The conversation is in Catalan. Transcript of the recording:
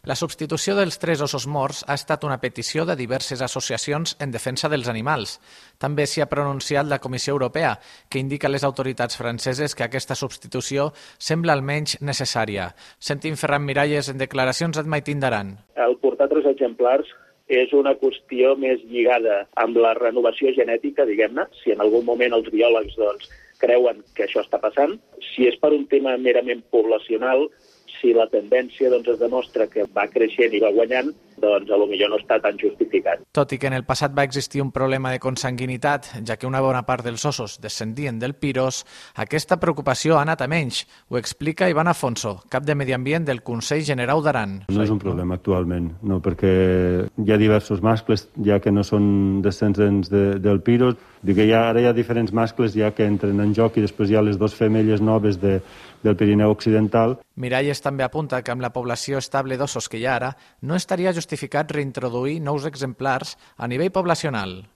La substitució dels 3 ossos morts ha estat una petició de diverses associacions en defensa dels animals. També s'hi ha pronunciat la Comissió Europea, que indica a les autoritats franceses que aquesta substitució sembla almenys necessària. Sentim Ferran Miralles en declaracions a Maitín d'Aran. El portar 3 exemplars és una qüestió més lligada amb la renovació genètica, diguem-ne, si en algun moment els biòlegs creuen que això està passant. Si és per un tema merament poblacional, si la tendència es demostra que va creixent i va guanyant, potser no està tan justificat. Tot i que en el passat va existir un problema de consanguinitat, ja que una bona part dels ossos descendien del Piros, aquesta preocupació ha anat a menys. Ho explica Ivan Afonso, cap de Medi Ambient del Consell Generau d'Aran. No és un problema actualment, no, perquè hi ha diversos mascles ja que no són descendents del Piros. Dic que ara hi ha diferents mascles ja que entren en joc i després hi ha les 2 femelles noves del Pirineu Occidental. Miralles també apunta que amb la població estable d'ossos que hi ha ara, no estaria justificat reintroduir nous exemplars a nivell poblacional.